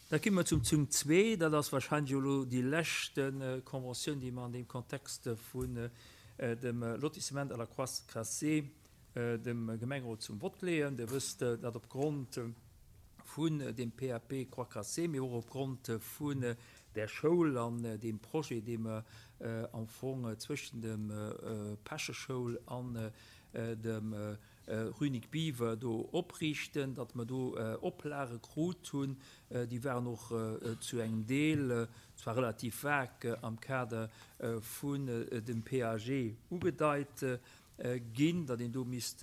Da gi mer zum Punkt zwee. Dat ass wahrscheinlech elo déi lescht Conventioun, déi mer an deem Kontext vun dem Lotissement à la Croix Cassée dem Gemengerot zum Vott leeën. Dir wësst, datt opgrond vun deem PAP Croix Cassée, mee och opgrond vun där Schoul an deem Projet, dee mer am Fong zwëschen dem Päscheschoul an dem Rue Nic Biever do opriichten, datt mer do Oplage krut hunn, déi waren och zu engem Deel, zwar relativ vag, am Kader vun dem PAG ugedeit ginn, datt een do misst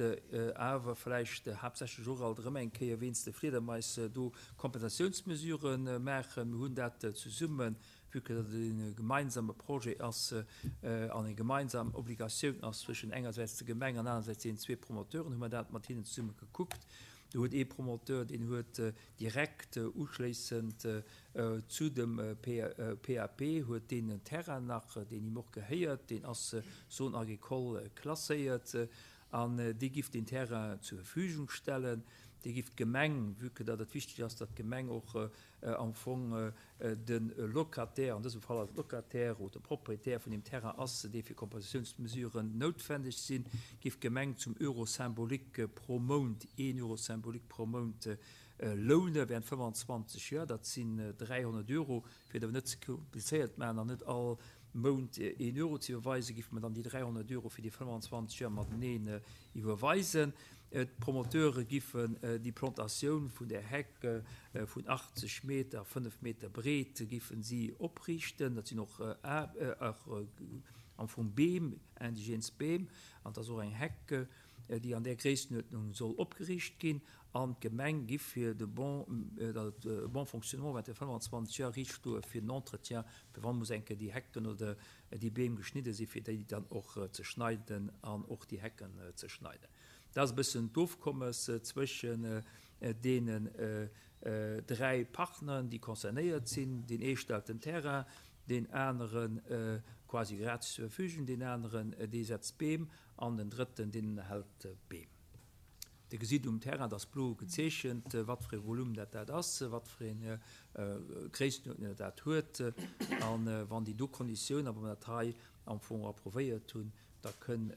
awer vläicht haaptsächlech och alt erëm eng Kéier wéinst de Fliedermais do Kompensatiounsmesurë maachen. Mir hunn dat zesumme vue que dat et e gemeinsame Projet ass an eng gemeinsam Obligatioun ass zwëschen engersäits der Gemeng an anersäits deenen zwee Promoteuren, hu mer dat mat hinnen zesumme gekuckt. Do huet ee Promoteur, deen huet direkt uschléissend zu dem PAP huet deen en Terrain nach, deen him och gehéiert, deen ass Zone agricole klasséiert an dee giff deen Terrain zur Verfügung stellen. Dee giff d'Gemeng, vue que datt et wichteg ass, datt d'Gemeng och am Fong de Locataire, an dësem Fall ass et Locataire oder Propriétaire vun deem Terrain ass, dee fir Kompensatiounsmesuren noutwendeg sinn, géif d'Gemeng zum Euro symbolique pro Mount, een Euro symbolique pro Mount loune während 25 Joer, dat sinn 300 Euro. Fir et awer net ze komplizéiert maachen an net all Mount een Euro ze iwwerweisen, géife mer dann déi 300 Euro fir déi 25 Joer mateneen iwwerweisen. D'Promoteure giffen déi Plantatioun vun där Heck vun 80 Meter a 5 Meter breet giffen si opriichten. Dat sinn och am Fong Beem, indigenes Beem, an et ass och eng Heck, déi an där Gréisstenuerdnung soll opgeriicht ginn. An d'Gemeng giff fir de bon, datt et e bon fonctionnement während de 25 Joer riicht stoe fir den Entretien, fir wann muss eng Kéier déi Hecken oder déi Beem geschnidde sinn, fir déi dann och ze schneiden an och déi Hecken ze schneiden. Dat ass e bëssen d'Ofkommes zwëschen deenen dräi Partneren, déi concernéiert sinn. Deen ee stellt den Terrain, deen anere quasi gratis zur Verfügung, deen aneren, dee setzt Beem an den drëtten, deen ënnerhält d'Beem. Dir gesitt um Terrain, dat ass blo gezeechent, wat fir ee Volume dat dat ass, wat fir eng Gréisstenuerdnung dat dat huet. A wann déi do Konditioun, a wa mer dat hei am Fong approuvéiert hunn, da kënn,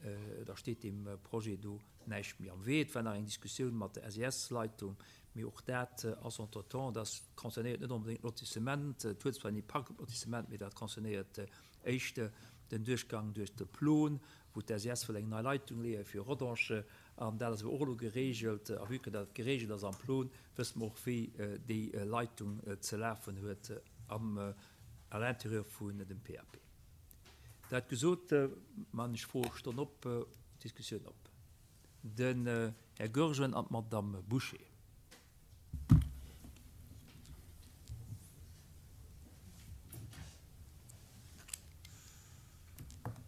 da steet deem Projet do näischt méi am Wee. Et war nach eng Diskussioun mat der SES-Leitung, mee och dat ass entretemps, dat concernéiert net onbedéngt d'Lotissement, et huet zwar en Impakt op d'Lotissement, mee dat concernéiert éischter den Duerchgang duerch de Plon, wou d'SES wëll eng nei Leitung leeë fir Rodange, an dat ass awer och elo geregelt. A vue que dat geregelt ass am Plon, wësse mer och, wéi déi Leitung ze lafen huet am, à l'intérieur vun dem PAP. Dat gesot, man ech Froestonn op, Diskussioun op. Den Här Goergen an d'Madame Bouché.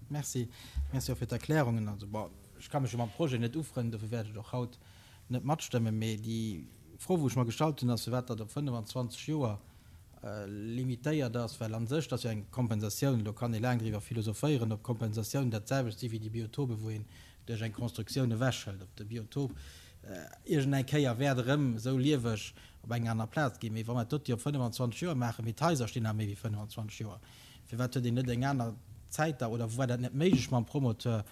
Merci. Merci och fir d'Erklärungen. Also, bon, ech ka mech jo mam Projet net ufrënnen, dofir wäert ech och haut net matstëmmen. Mee déi Fro, wou ech mer gestallt hunn, ass, firwat dat op 25 Joer limitéiert ass, well a sech, dat ass jo eng Kompensatioun, elo kann ee laang driwwer philosophéieren, ob Kompensatioun dat selwecht si wéi déi Biotope wou een duerch eng Constructioun ewechhëlt, ob de Biotop iergend eng Kéier wäert erëm esou lieweg op enger aner Plaz ginn. Mee wa mer dat dote op 25 Joer maachen, mee d'Haiser stinn nach méi wéi 25 Joer, firwat huet een net eng aner Zäit da, oder war dat net méiglech mam Promoteur,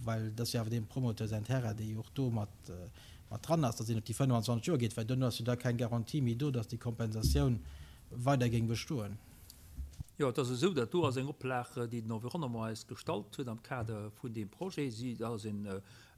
well et ass jo awer deem Promoteur säin Terrain, dee jo och do mat dran ass, datt een op déi 25 Joer geet, well duerno ass jo da keng Garantie méi do, datt déi Kompensatioun weider géing bestoen. Jo, et ass esou, dat do ass eng Oplag, déi den Environnement eis gestallt huet am Kader vun deem Projet. Si, dat ass en,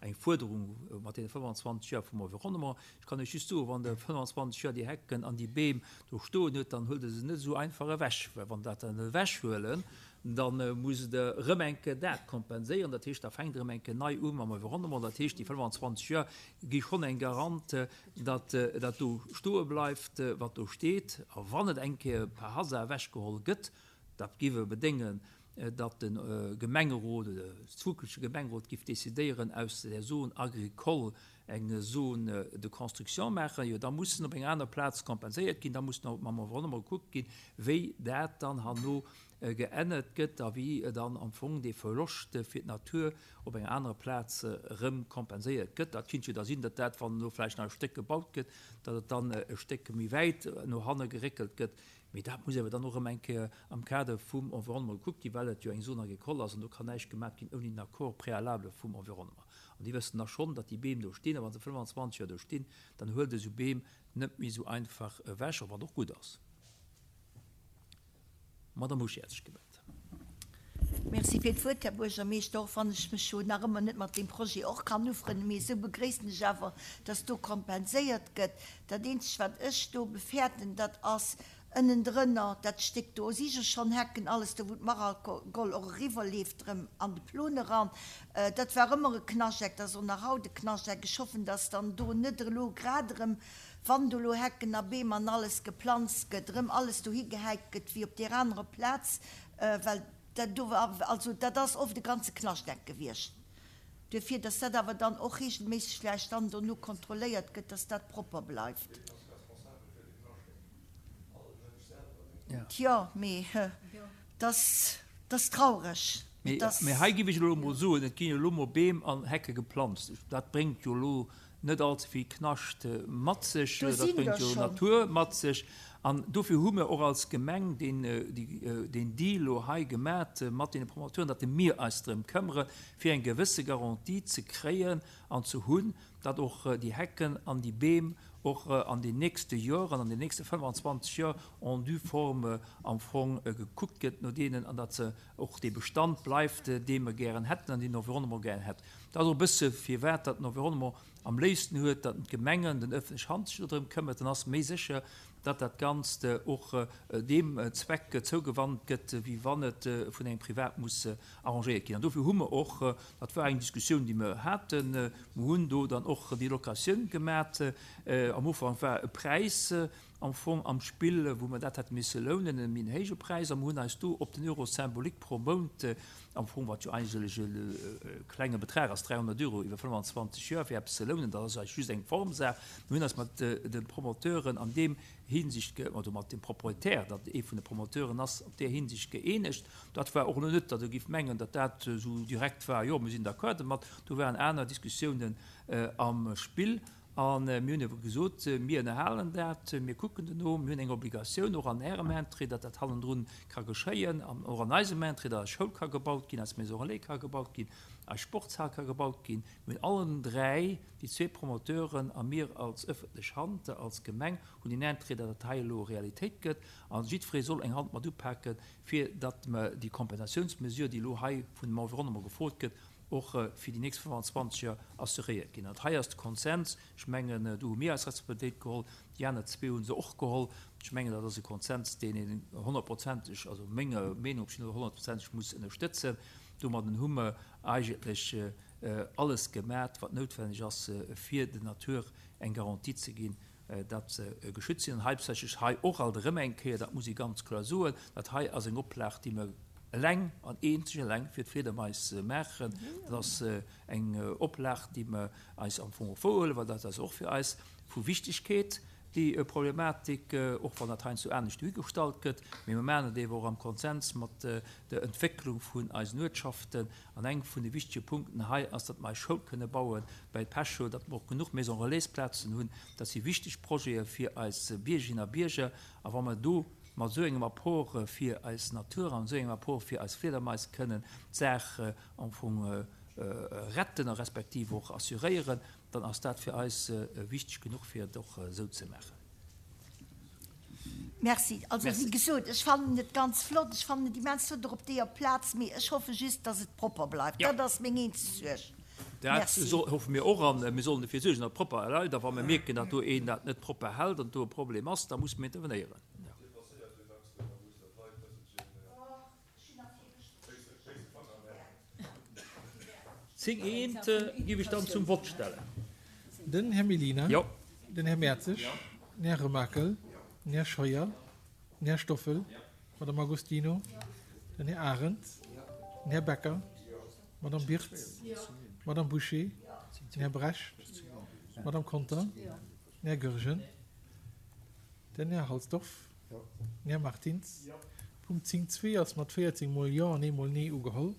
eng Fuerderung mat deene 25 Joer vum Environnement. Ech kann Iech just soen, wann Der 25 Joer déi Hecken an déi Beem do stoen hutt, dann huelt Der se net esou einfach ewech, well wann Der dat dann ewechhuelen, Da musst Der erëm eng Kéier dat kompenséieren. Dat heescht, da fänkt erëm eng Kéier nei u mam Environnement. Dat heescht, déi 25 Joer gi schonn eng Garant, datt dat do stoe bleift, wat do steet. A wann et eng Kéier par hasard ewechgeholl gëtt, dat géif e bedéngen, datt de Gemengerot oder de zukünftege Gemengerot géif decidéieren, aus der Zone agricole. eng Zone de construction maachen, jo da muss en op enger aner Plaz kompenséiert ginn, da muss nach mam Environnement gekuckt ginn, wéi dat dann herno geännert gëtt a wéi dann am Fong dee Verloscht fir d'Natur op enger anerer Plaz erëm kompenséiert gëtt. Dat kinnt jo da sinn, datt dat, wann elo vläicht nach e Stéck gebaut gëtt, datt et dann e Stéck méi wäit no hanne geréckelt gëtt. Mee dat muss awer dann och erëm eng Kéier am Kader vum Environnement gekuckt ginn, well et jo eng Zone agricole ass an do kann näischt gemaat ginn ouni den Accord préalable vum Environnement. An déi wëssen da schonn, datt déi Beem do stinn a wa se 25 Joer do stinn, dann huelt esou Beem net méi esou einfach ewech, och wann et och gutt ass. D'Madame Uschi hat sech gemellt. Merci fir d'Wuert, Här Buergermeeschter. Och wann ech mech jo nach ëmmer net mat deem Projet och kann ufrënnen, mee esou begréissen ech awer, dass do kompenséiert gëtt. Dat eenzegt, wat ech do befäerten, dat ass ënnendrënner dat Stéck do si jo schonn Hecken, alles do, wou d'Maralgoll och eriwwerleeft erëm an de Plon eran. Dat war ëmmer e Knascheck, dat ass och nach haut e Knascheck. Ech hoffen, dass dann do net elo grad erëm, wann do elo Hecken a Beem an alles geplanzt gëtt, erëm alles dohi gehäit gëtt wéi op deer anerer Plaz, well dat do war, also dat ass oft e ganze Knaschtdeck gewiescht. Duerfir, dass dat awer dann och regelméisseg vläicht dann dono kontrolléiert gëtt, dass dat propper bleift. Tjo, mee dass ass traureg. Mee hei géif ech elo emol soen, et ginn jo elo emol Beem an Hecke geplanzt. Dat bréngt jo elo net all ze vill Knascht mat sech, dat bréngt jo Natur mat sech. An dofir hu mir och als Gemeng deen Deal elo hei gemat mat deene Promoteuren, datt mir eis drëm këmmere fir eng gewësse Garantie ze kréien an ze hunn, datt och déi Hecken an déi Beem och an den nächste Joren, an den nächste 25 Joer en due forme am Fong gekuckt gëtt no deenen an datt se och dee Bestand bleift, dee mer gären hätten an deen den Environnement gären hätt. Dat ass och e bësse firwat datt den Environnement am léifsten huet, datt d'Gemengen, den öffentlech Hand sech dodrëm këmmert. Dann ass méi sécher, datt dat Ganzt och deem Zweck zougewannt gëtt, wéi wann et vun engem Privat muss arrangéiert ginn. An dofir hu mer och, dat war eng Diskussioun, déi mer haten, mer hunn do dann och déi Locatioun gemat. Am Ufank war e Präis am Fong am Spill, wou mer dat hätte misse lounen, e méi héije Präis, a mer hunn eis do op den Euro symbolique pro Mount, am Fong, wat jo eigentlech e klenge Betrag ass, 300 Euro iwwer 25 Joer fir eppes ze lounen, dat ass eigentlech just eng Formsaach. Mir hunn eis mat de Promoteuren an deem Hinsicht, oder mat dem Propriétaire, dat ee vun de Promoteuren ass, op där Hinsicht gëeenegt. Dat war och elo net, datt Der gift mengen, datt dat esou direkt war, jo, mir sinn d'accord domat. Do waren aner Diskussiounen am Spill. A mir hunn ebe gesot, mir ënnerhalen dat, mir kucken dono, mir hunn eng Obligatioun och an Ärem Interêt, datt dat hannendrun ka geschéien, an och an eisem Interêt, datt eis Schoul ka gebaut ginn, eis Maison relais ka gebaut ginn, eis Sportshal ka gebaut ginn. Mir hunn allen dräi, déi zwee Promoteuren a mir als ëffentlech Hand, als Gemeng, hunn een Interêt, datt dat hei elo Realitéit gëtt. A jiddweree soll eng Hand mat upaken, fir datt mer déi Kompensatiounsmesure, déi elo hei vun dem Environnement gefrot gëtt, och fir déi nächst 25 Joer assuréiert ginn. An hei ass de Konsens, ech mengen, do hu mir eis Responsabilitéit geholl, déi aner zwee hu se och geholl. Ech mengen, dat ass e Konsens, deen een honnertprozenteg, also menger Meenung op jidde Fall honnertprozenteg muss ënnerstëtzen. Domadden hu mer eigentlech alles gemat, wat noutwenneg ass, fir der Natur eng Garantie ze ginn, datt se geschützt sinn. An hauptsächlech hei och alt erëm eng Kéier, dat muss ee ganz kloer soen, dat hei ass eng Oplag, déi mer eleng an eenzeg eleng fir d'Fliedermais maachen. Dat ass eng Oplag, déi mer eis am Fong och wouerhuelen, well dat ass och fir eis vu Wichtigkeet, déi Problematik, och wann dat heiansdo anescht duergestallt gëtt. Mee mer maachen et eeben och am Konsens mat der Entwécklung vun eisen Uertschaften. An eng vun de wichtege Punkten hei ass, datt mer eis Schoul kënne baue bäi Pecho, datt mer och genuch Maison Relais-Plazen hunn. Dat si wichteg Projete fir eis Biergerinnen a Bierger. A wa mer do mat esou engem Apport fir eis Natur an esou engem Apport fir eis Fliedermais kënnen d'Saach am Fong retten a respektiv och assuréieren, dann ass dat fir eis wichteg genuch, fir et och esou ze maachen. Merci. Also, wéi gesot, ech fannen et ganz flott, ech fannen et immens flott och op deeër Plaz, mee ech hoffe just, dass et propper bleift. Dat ass meng eenzeg Suerg. Dat hoffe mir och a mir sollen dofir suergen, datt et propper bleift. A wa mir mierken, datt do een dat net propper hält an do e Problem ass, da musse mir intervenéieren. 10 eent géif ech dann zum Vott stellen. Den Här Mellina. Den Här Mertzig. Den Här Remakel. Den Här Scheuer. Den Här Stoffel. D'Madame Agostino. Den Här Arendt. Den Här Becker. D'Madame Birtz. D'Madame Bouché. Den Här Brecht. D'Madame Conter. Den Här Goergen. Den Här Halsdorf. Den Här Martins. Punkt 10 zwee ass mat 14 mol Jo an eemol Nee ugeholl.